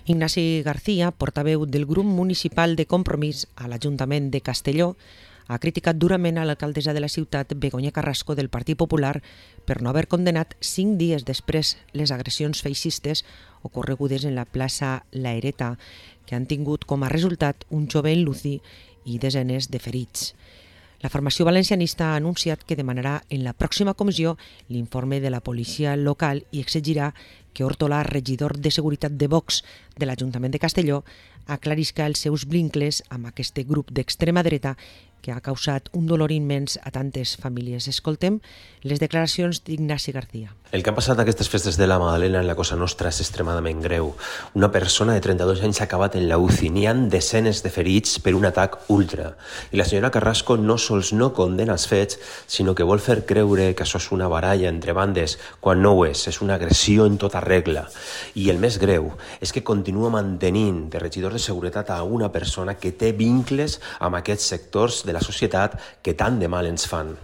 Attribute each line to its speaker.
Speaker 1: Ignasi García, portaveu del grup municipal de Compromís a l'Ajuntament de Castelló, ha criticat durament a l'alcaldessa de la ciutat, Begoña Carrasco, del Partit Popular, per no haver condenat 5 dies després les agressions feixistes ocorregudes en la plaça La Ereta, que han tingut com a resultat un jove enluci i desenes de ferits. La formació valencianista ha anunciat que demanarà en la pròxima comissió l'informe de la policia local i exigirà que Hortolà, regidor de Seguretat de Vox de l'Ajuntament de Castelló, aclarisca els seus vincles amb aquest grup d'extrema dreta que ha causat un dolor immens a tantes famílies. Escoltem les declaracions d'Ignasi García.
Speaker 2: El que ha passat aquestes festes de la Magdalena en la Cosa Nostra és extremadament greu. Una persona de 32 anys ha acabat en la UCI. N'hi ha desenes de ferits per un atac ultra. I la senyora Carrasco no sols no condena els fets, sinó que vol fer creure que això és una baralla entre bandes, quan no ho és una agressió en tota regla. I el més greu és que continua mantenint de regidor de seguretat a una persona que té vincles amb aquests sectors de la societat que tant de mal ens fan.